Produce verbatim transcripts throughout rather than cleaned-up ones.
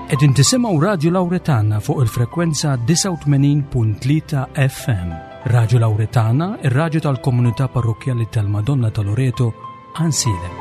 Qegħdin tisimgħu Radio Lauretana fuq il-frekwenza disgħa u tmenin punt tlieta F M. Radio Lauretana, ir-radju tal-komunità parrokkjali tal-Madonna ta' Loreto, Għajnsielem.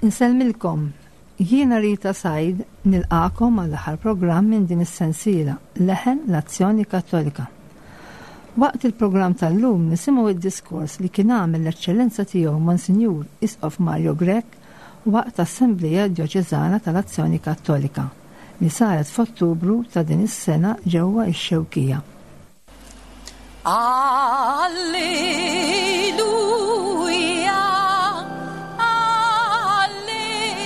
Insellmilkom, jiena Rita Said, nilqagħkom għall-aħħar programm minn din is-sensiela Leħen l-Azzjoni Kattolika. Waqt il-programm tal-lum nisimgħu id-diskors li kien għamel l-Eċċellenza tiegħu Monsinjur Isqof Mario Grech waqt Assembleja Djoċeżana tal-Azzjoni Kattolika li saret f'Ottubru ta' din is-sena ġewwa x-Xewkija. Alleluja, Alleluja,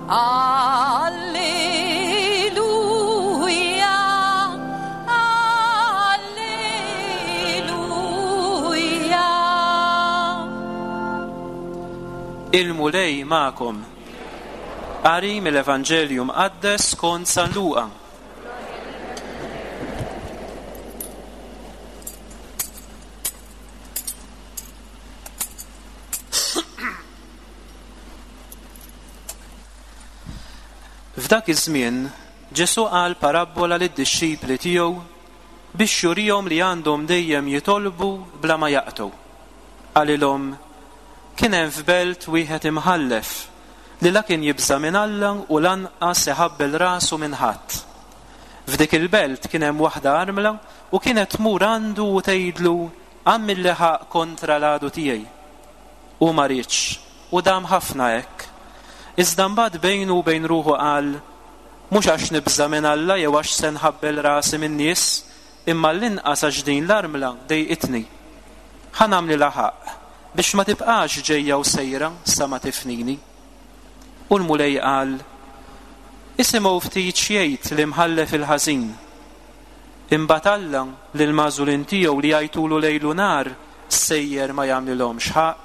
Alleluja, Alleluja. Il-Mulej magħkom. Qari mill-Evanġelju Mqaddes skont San Luqa. F'dak iż-żmien Ġesu qal parabbola lid-dixxipli tiegħu biex jurihom li għandhom dejjem jitolbu bla ma jaqtgħu. Qalilhom: Kien hemm f'belt wieħed imħallef li la kien jibża' minn Alla u lanqas iħabbel rasu minn ħadd. F'dik il-belt kien hemm waħda armla u kienet tmur għandu u tgħidlu: "Agħmilli ħaqq kontra l-għadu tiegħi." U ma riedx, u dam ħafna hekk. Iżda mbagħad bejnu u bejn ruħu qal: "Mhux għax nibża' minn Alla jew għax se nħabbel rasi min-nies, imma l-inqas għax din l-armla dejqitni. Ħa nagħmlilha ħaqq biex ma tibqax ġejja u sejra sa ma tifnini." U l-Mulej qal: "Isimgħu ftit x'jgħid l-imħallef il-ħażin. Imbagħad Alla lill-magħżulin tiegħu li jgħajtulu lejl u nhar sejjer ma jagħmlilhomx ħaqq?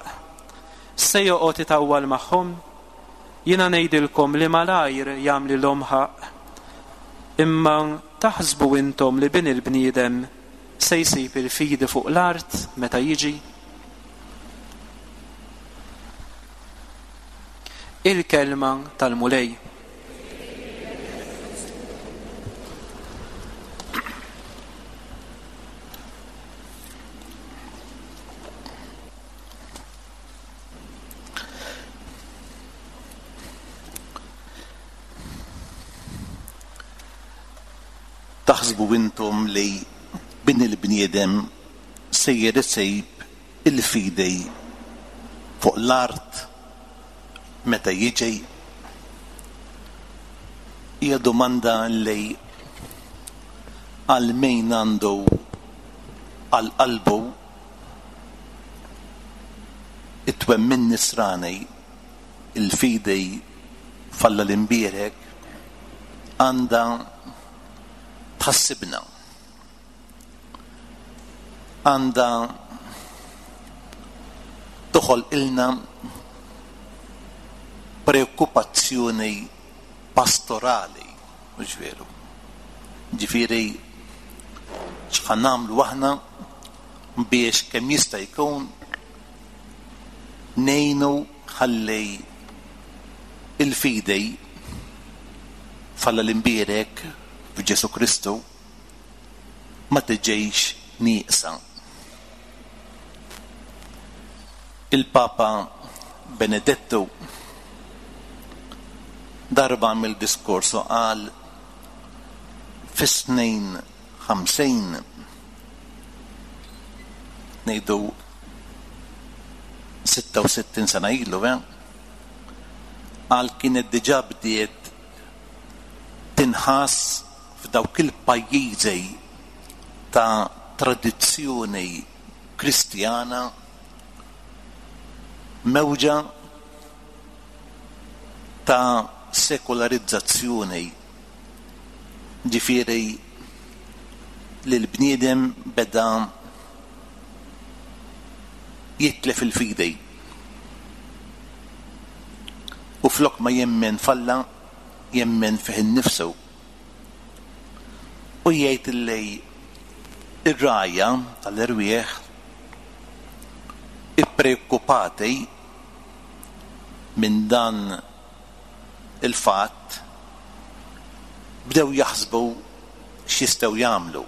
Se joqgħod itawwal magħhom? Jiena ngħidilkom li malajr jagħmlilhom ħaqq. Imma taħsbu intom li bin il-bniedem se jsib il-fidi fuq l-art meta jiġi?" Il-kelma tal-Mulej. Taħsbu intom li bin il-bniedem sejjer isib il-fidi fuq l-art meta jiġi? Hija domanda li għal min għandu għal qalbu it-twemmin nisrani, il-fidi f'Alla l-imbierek, għandha tħassibna, għandha toħolqilna preokkupazzjoni pastorali, mhux veru? Ġifieri x'ħa nagħmlu aħna biex kemm jista' jkun ngħinu ħalli il-fidi f'Alla l-imbierek f'Ġesu Kristu ma tiġix nieqsa. Il-Papa Benedettu darba għamel diskors u qal fis-snin ħamsin, ngħidu sitta u sittin sena ilu, eh? Qal kienet diġà bdiet tinħass f'dawk il-pajjiżi ta' tradizzjoni Kristjana mewġa ta' sekolarizzazzjoni, ġifieri li l-bniedem beda jitlef il-fidi u flok ma jemmen falla jemmen fih innifsu, u jgħid li ir-rgħajja tal-erwieħ ippreokkupati minn dan il-fatt bdew jaħsbu x'jistgħu jagħmlu.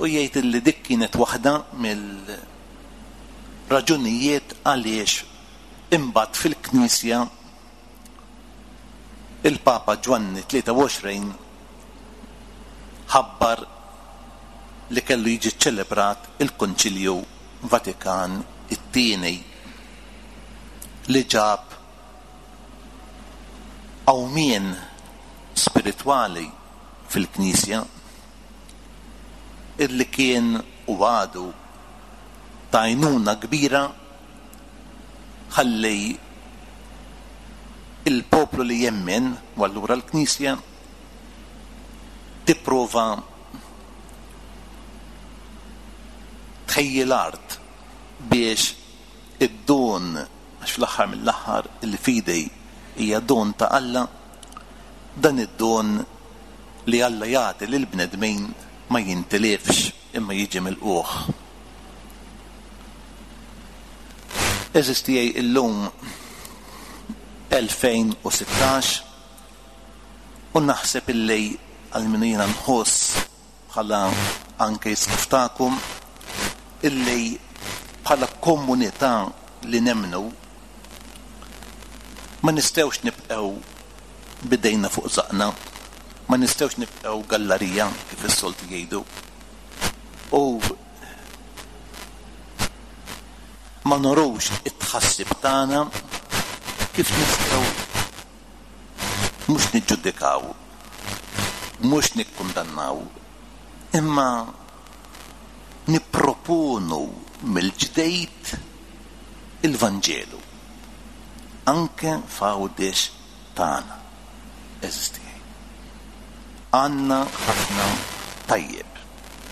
U jgħid li dik kienet waħda mill-raġunijiet għaliex imbagħad fil-Knisja il-Papa Ġwanni tlieta u għoxrin ħabbar li kellu jiġi ċċelebrat il-Konċilju Vatikan it-tieni li ġab qawmien spiritwali fil-Knisja illi kien u għadu ta' għajnuna kbira ħalli il-poplu li jemmen, u allura l-Knisja, tipprova tħejji l-art biex id-don, għax fl-aħħar mill-aħħar il-fidi hija don ta' Alla, dan id-don li Alla jagħti lill-bnedmin ma jintilifx imma jiġi milquh. Għeżież tiegħi, illum elfejn u sittax u naħseb illi għal min jiena nħoss bħala anke isqof tagħkom illi bħala komunità li nemmnu ma nistgħux nibqgħu bidejna fuq żaqna, ma nistgħux nibqgħu gallarija kif is-soltu jgħidu, u ma norux it-tħassib tagħna kif nistgħu mhux niġġudikaw, mhux nikkundannaw, imma nipproponu mill-ġdejt il-Vanġelu anke f'Għawdex tagħna. Eżisti. Għandna ħafna tajjeb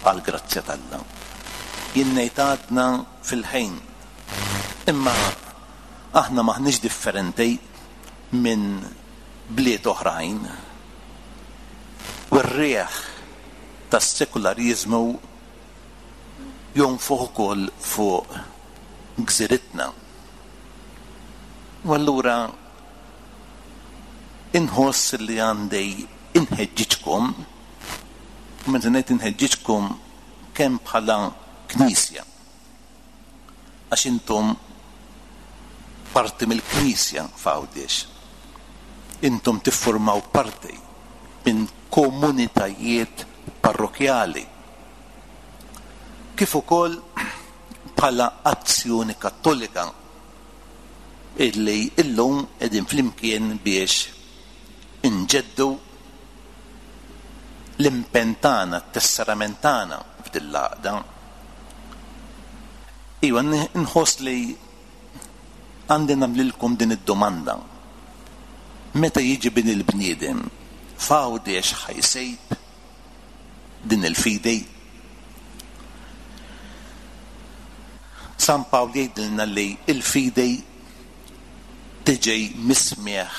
għal grazzja t'Alla. Jien ngħid għadna fil-ħin, imma aħna maħniex differenti minn bliet oħrajn. U r-riħ tas-sekulariżmu jonfoħ ukoll fuq gżiritna. U allura inħoss li għandi inħeġġiġkom, u meta ngħid inħeġġiġkom kemm bħala knisja, għax intom parti mill-knisja f'Għawdex, intom tiffurmaw parti minn komunitajiet parrokjali, kif ukoll bħala Azzjoni Kattolika illi illum qegħdin flimkien biex inġeddu l-impenn tagħna, t-tesserament tagħna f'din l-għaqda. Iva, nħoss li għandi nagħmlilkom din id-domanda. Meta jiġi bin il-bniedem, f'Għawdex ħajsejb din il-fidi? San Pawl jgħidilna li il-fidi tiġi mismieħ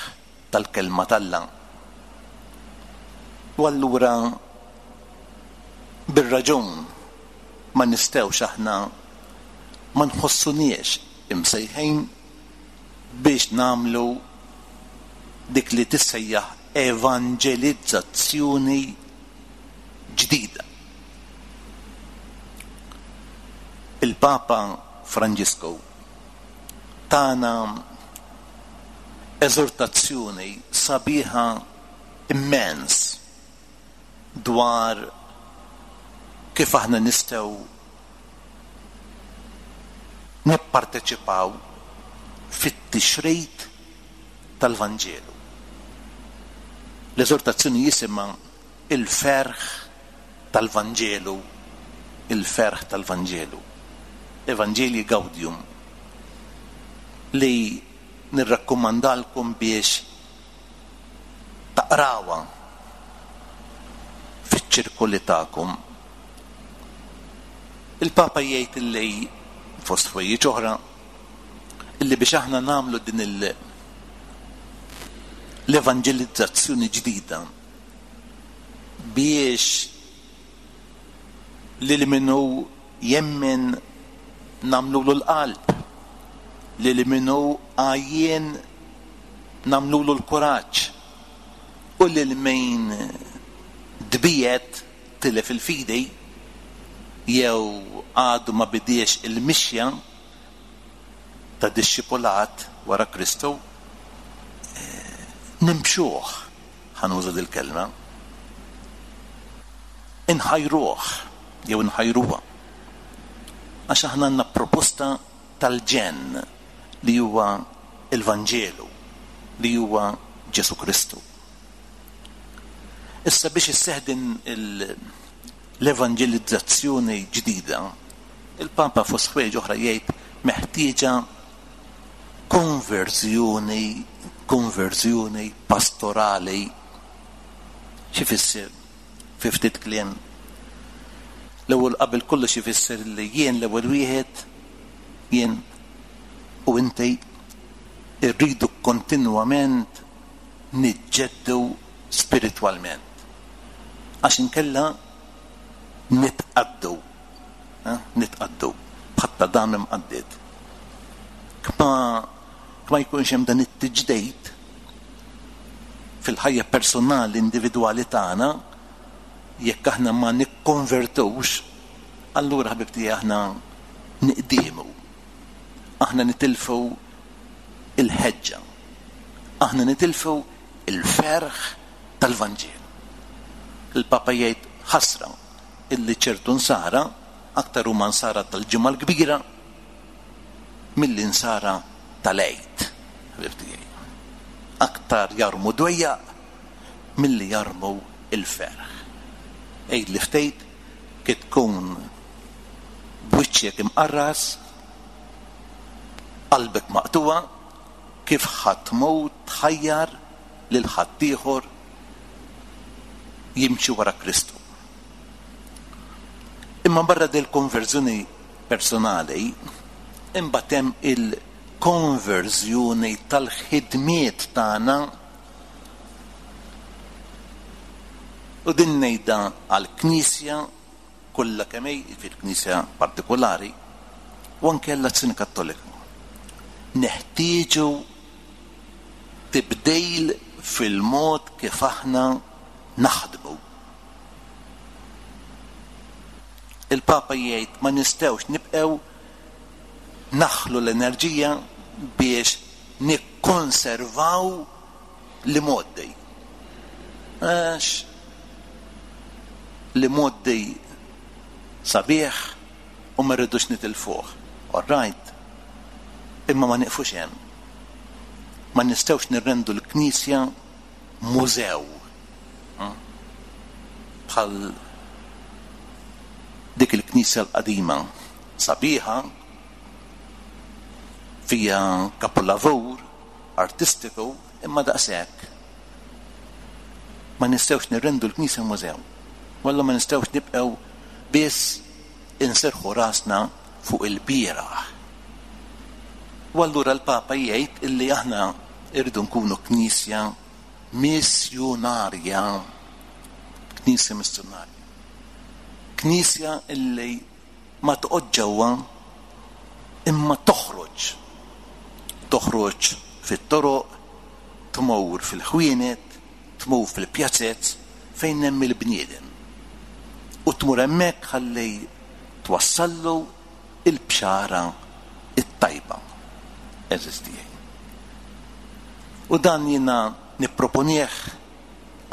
tal-kelma t'Alla. U allura bir-raġun ma nistgħux aħna ma nħossuniex imsejħin biex nagħmlu dik li tissejjaħ evanġelizzazzjoni ġdida. Il-Papa Franġisku Tana eżortazzjoni sabiħa immens dwar kif aħna nistgħu nipparteċipaw fit-tixrid tal-Vanġelu. L-eżortazzjoni jisimha il-ferħ tal-Vanġelu, il-ferħ tal-Vanġelu, Evangelii Gaudium, li nirrakkomandalkom biex taqrawha fiċ-ċirkoli tagħkom. Il-Papa jgħid illi fost ħwejjeġ oħra illi biex aħna nagħmlu din il- l-evanġelizzazzjoni ġdida biex lil min hu jemmen nagħmlulu l-qalb, lil min hu għajjien nagħmlulu l-kuraġġ, u lil min tbiegħed, tilef il-fidi jew għadu ma bidiex il-mixja ta' dixxipulat wara Kristu, nimxuh, ħa nuża dil-kelma, inħajruh jew inħajruha. Għax aħna għandna proposta tal-ġenn li huwa il-Vanġelu, li huwa Ġesu Kristu. Issa biex isseħħ din l-evanġelizzazzjoni ġdida, il-Papa fost ħwejjeġ oħra jgħid meħtieġa konverżjoni, konverżjoni pastorali. X'ifisser fi ftit kliem? L-ewwel qabel kollox ifisser li jien l-ewwel wieħed, jien u inti irridu kontinwament niġġeddu spiritwalment. Għax inkella nitqaddu, eh? Nitqaddu bħatta dam imqaddid. Kma ma jkunx hemm dan it-tiġdid fil-ħajja personali individwali tagħna, jekk aħna ma nikkonvertux, allura ħbibti aħna niqdiemu. Aħna nitilfu il-ħeġġa. Aħna nitilfu il-ferħ tal-Vanġelu. Il-Papa jgħid ħasra illi ċertu nsara aktar huma nsara tal-Ġimgħa l-Kbira milli nsara tal-Għid, ħbib tiegħi. Aktar jarmu dwejjaq milli jarmu il-ferħ. Għid li ftejt kif tkun b'wiċċek imqarras, qalbek maqtuwa, kif ħa tmur tħajjar lil ħaddieħor jimxi wara Kristu. Imma barra del konverżjoni personali, imbagħad hemm il-konverżjoni tal-ħidmiet tagħna, u din ngħidha għall-Knisja kollha kemm hi, fil-Knisja partikolari, u anke għall-Azzjoni Kattolika. Neħtieġu tibdil fil-mod kif aħna naħdmu. Il-Papa jgħid ma nistgħux nibqgħu naħlu l-enerġija biex nikkonservaw li moddi. Għax li moddi sabiħ u ma rridux nitilfuh. All right. Imma ma nieqfux hemm. Ma nistgħux nirrendu l-Knisja mużew. Bħal dik il-Knisja l-qadima sabiħa, fija kapolavur artistiku, imma daqshekk. Ma nistgħux nirrendu l-Knisja mużew. Walla ma nistgħux nibqgħu biss inserħu rasna fuq il-bieraħ. U allura l-Papa jgħid illi aħna irridu nkunu Knisja missjonarja. Knisja missjonarja. Knisja illi ma toqgħod ġewwa imma toħroġ. Toħroġ fit-toroq, tmur fil-ħwienet, tmur fil-pjazzez fejn hemm il-bniedem. U tmur hemmhekk ħalli twassallu il-bxara it-tajba. Għeżież tiegħi. U dan jiena nipproponih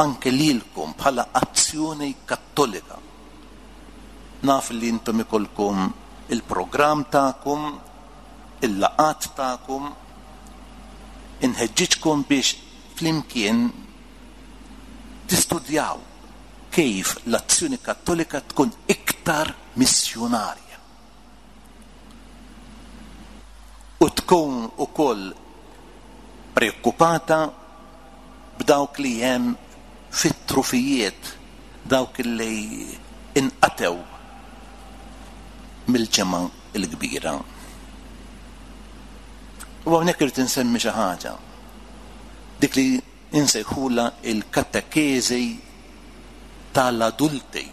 anke lilkom bħala Azzjoni Kattolika. Naf li intom ikolkom il-programm tagħkom, il-laqgħat tagħkom, inħeġġiġkom biex flimkien tistudjaw kif l-Azzjoni Kattolika tkun iktar missjonarja u tkun ukoll preokkupata b'dawk li hemm fit-trufijiet, dawk li inqatew mill-ġemgħa l-kbira. U hawnhekk irid insemmi xi ħaġa, dik li insejħula il-katekeżi tal-adulti.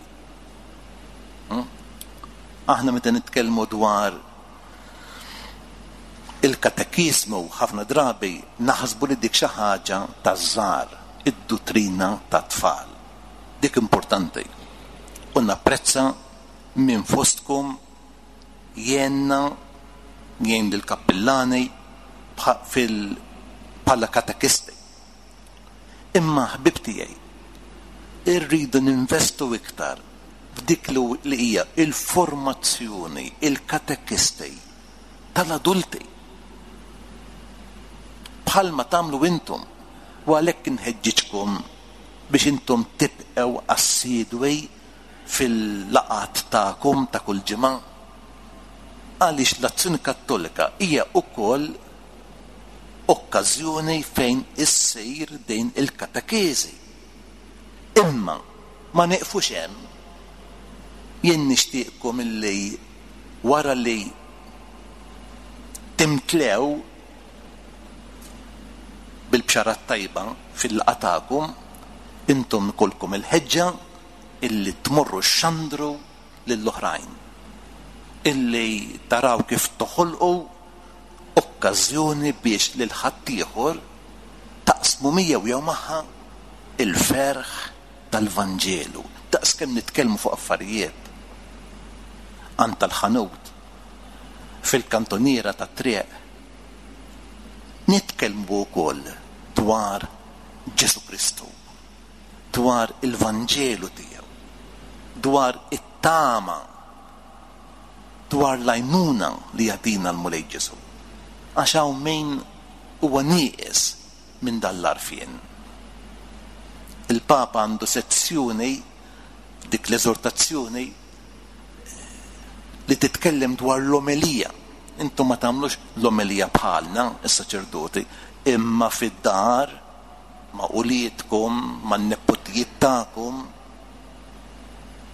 Aħna meta nitkellmu dwar il-katekiżmu ħafna drabi naħsbu li dik xi ħaġa taż-żgħar, id-duttrina tat-tfal. Dik importanti. U napprezza minn fostkom jenna jgħin lill-kappillani bħala katekisti. Imma ħbib tiegħi, irridu ninvestu iktar f'dik li hija il-formazzjoni, il-katekisti tal-adulti. Bħalma tagħmlu intom, u għalhekk inħeġġiġkom biex intom tibqgħu assidwi fil-laqgħat tagħkom ta' kull ġimgħa, għaliex l-Azzjoni Kattolika hija wkoll okkażjoni fejn issir din il-katekeżi. Imma ma nieqfux hemm. Jien nixtieqkom illi wara li timtlew bil-bxara tajba fil-laqgħa tagħkom, intom ikolkom il-ħeġġa illi tmorru xandru lill-oħrajn, illi taraw kif toħolqu okkażjoni biex lil ħaddieħor taqsmu miegħu jew magħha il-ferħ tal-Vanġelu. Daqskemm nitkellmu fuq affarijiet għand tal-ħanut, fil-kantoniera tat-triq, nitkellmu wkoll dwar Ġesù Kristu, dwar il-Vanġelu tiegħu, dwar it-tama, dwar l-għajnuna li jagħtina l-Mulej Ġesù. Għax hawn min huwa nieqes minn dan l-għarfien. Il-Papa għandu sezzjoni, dik l-eżortazzjoni li titkellem dwar l-omelija. Intom ma tagħmlux l-omelija bħalna, is-saċerdoti, imma fid-dar, ma' uliedkom, man-nepotijiet tagħkom,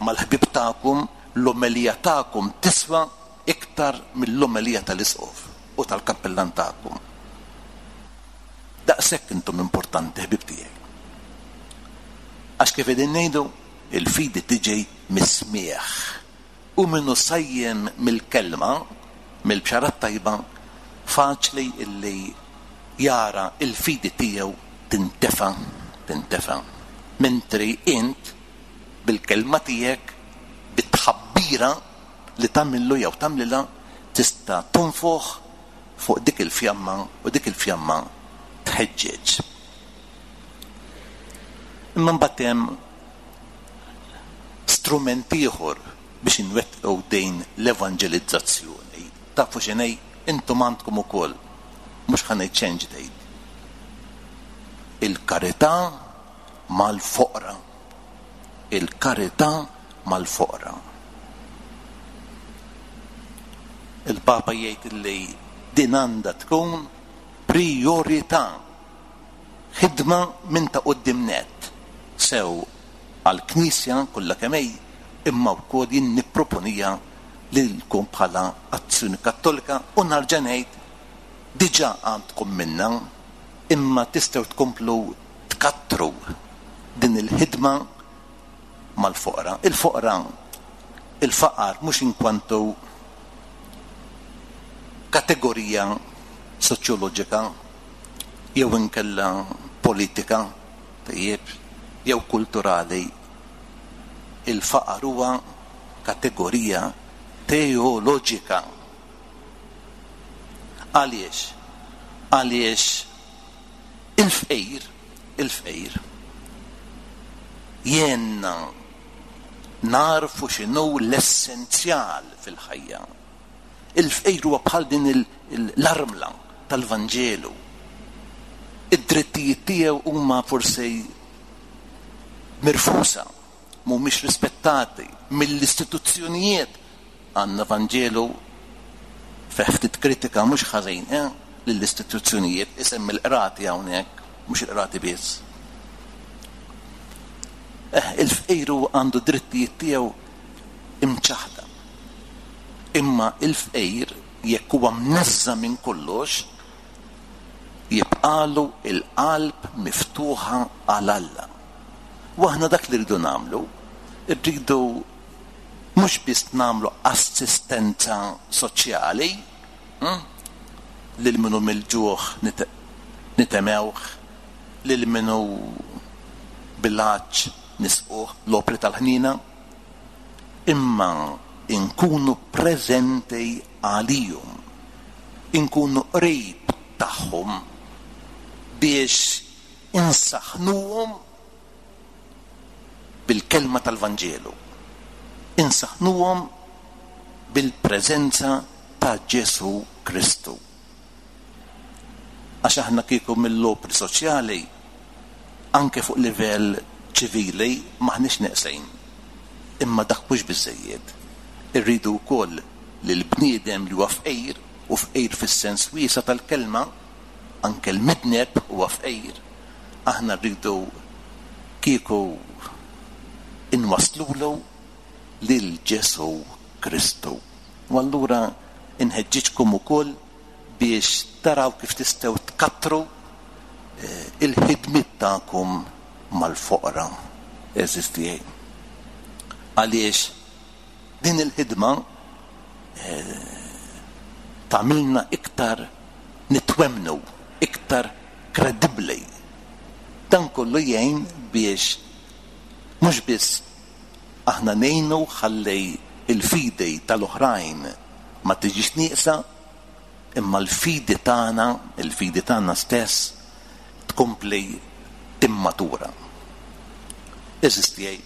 mal-ħbieb tagħkom, l-omelija tagħkom tiswa iktar mill-omelija tal-isqof u tal-kappellan tagħkom. Daqshekk intom importanti, ħbieb tiegħi. Għax kif qegħdin ngħidu, il-fidi tiġi mis-smieħ. U minnu sajjem mill-kelma, mill-bxara tajba, faċli illi jara il-fidi tiegħu tintefa, tintefa. Mentri int bil-kelma tiegħek, bit-tħabbira li tagħmillu jew tagħmlilha, tista' tonfoħ fuq dik il-fjamma u dik il-fjamma tħeġġeġ. Imma mbagħad hemm strument ieħor biex inwettqu din l-evanġelizzazzjoni. Tafu x'inhi, intom għandkom ukoll, mhux ħa ngħid xejn ġdid. Il-karità mal-foqra. Il-karità mal-foqra. Il-Papa jgħid li din għandha tkun priorità, ħidma minn ta' quddiem nett, sew għall-Knisja kollha kemm hi, imma wkoll jien nipproponija lilkom bħala Azzjoni Kattolika, u nerġa' ngħid diġà għandkom minna, imma tistgħu tkomplu tkattru din il-ħidma mal-foqra. Il-foqra, il-faqar mhux inkwantu kategorija soċjoloġika jew inkella politika, tajjeb, jew kulturali. Il-faqar huwa kategorija teoloġika. Għaliex? Għaliex il-fqir, il-fqir, jgħinna narfu x'inhu l-essenzjal fil-ħajja. Il-fqir huwa bħal din l-armla tal-Vanġelu. Id-drittijiet tiegħu huma forsi mirfusa, mhumiex rispettati mill-istituzzjonijiet. Għandna Vanġelu fih ftit kritika mhux ħażin, eh, lill-istituzzjonijiet, isemmi l-qrati hawnhekk, mhux il-qrati biss. Eh, il-fqir għandu drittijiet tiegħu imċaħda. Imma il-fqir jekk huwa mneżża minn kollox, jibqalu il-qalb miftuħa għal Alla. U aħna dak li rridu nagħmlu, rridu mhux biss nagħmlu assistenza soċjali, hm? lil minnu mill-ġuħ nitemewh, lil minnu bil-għatx nisquh, l-opri tal-ħnina, imma inkunu preżenti għalihom, inkunu qrib tagħhom biex insaħnuhom bil-kelma tal-Vanġelu, insaħnuhom bil-preżenza ta' Ġesù Kristu. Għax aħna kieku mill-opri soċjali, anke fuq livell ċivili, maħniex neqsejn. Imma dak mhux biżżejjed. Irridu wkoll li l-bniedem li huwa fqir, u fqir fis-sens wiesa' tal-kelma, anke l-midneb huwa fqir, aħna rridu kieku inwaslulu lil Ġesù Kristu. U allura inħeġġiġkom ukoll biex taraw kif tistgħu tkattru il-ħidmiet tagħkom mal-foqra eżistijaj. Għaliex din il-ħidma tagħmilna iktar nitwemnu, iktar kredibbli. Dan kollu jgħin biex mhux biss aħna ngħinu ħalli il-fidi tal-oħrajn ma tiġix nieqsa, imma l-fidi tagħna, il-fidi tagħna stess tkompli timmatura. Eżistijaj,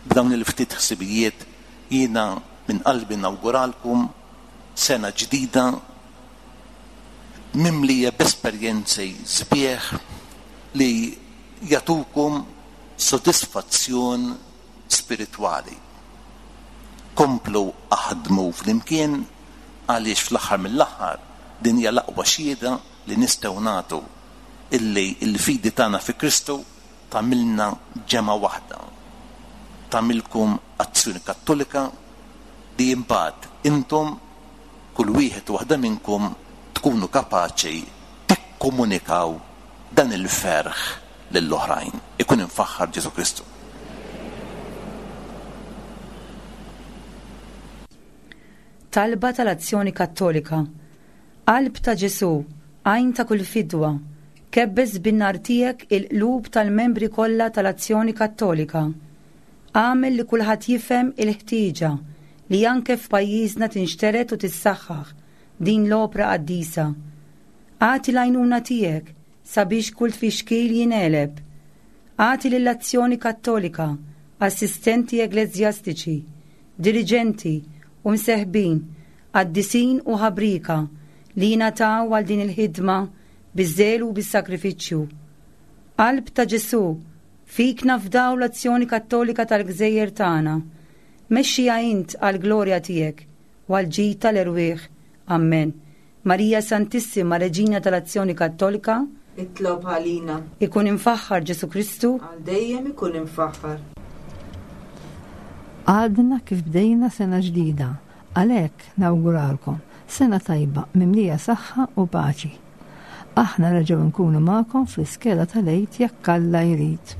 b'dawn il-ftit ħsibijiet jiena minn qalbi nawguralkom sena ġdida mimlija b'esperjenzi sbieħ li jagħtukom sodisfazzjon spiritwali. Komplu aħdmu flimkien għaliex fl-aħħar mill-aħħar din hija l-aqwa xhieda li nistgħu nagħtu illi l-fidi tagħna fi Kristu tagħmilna ġemgħa waħda. Tagħmilkom azzjoni kattolika li imbagħad intom kull wieħed u waħda minnkom tkunu kapaċi tikkomunikaw dan il-ferħ lill-oħrajn. Ikun imfaħħar Ġesù Kristu. Talba tal-Azzjoni Kattolika. Qalb ta' Ġesù, għajn ta' kull fidwa, kebbes bin-nar tiegħek il-qlub tal-membri kollha tal-Azzjoni Kattolika. Għamel li kulħadd jifhem il-ħtieġa li anke f'pajjiżna tinxteret u tissaħħaħ din l-opra qaddisa. Agħti l-għajnuna tiegħek sabiex kull tfixkil jingħeleb. Agħti lill-Azzjoni Kattolika assistenti ekleżjastiċi, diriġenti u mseħbin, qaddisin u ħabrika li jingħataw għal din il-ħidma biż-żelu u bis-sakrifiċċju. Qalb ta' Ġesù, fik nafdaw l-Azzjoni Kattolika tal-Gżejjer tagħna. Mexxija int għall-glorja tiegħek u għall-ġid tal-erwieħ. Amen. Marija Santissima, Reġina tal-Azzjoni Kattolika, itlob għalina. Ikun imfaħħar Ġesù Kristu, għal dejjem ikun imfaħħar. Għadna kif bdejna sena ġdida, għalhekk nawguralkom sena tajba mimlija saħħa u paċi. Aħna reġgħu nkunu magħkom fl-iskela tal-Għid jekk Alla jrid.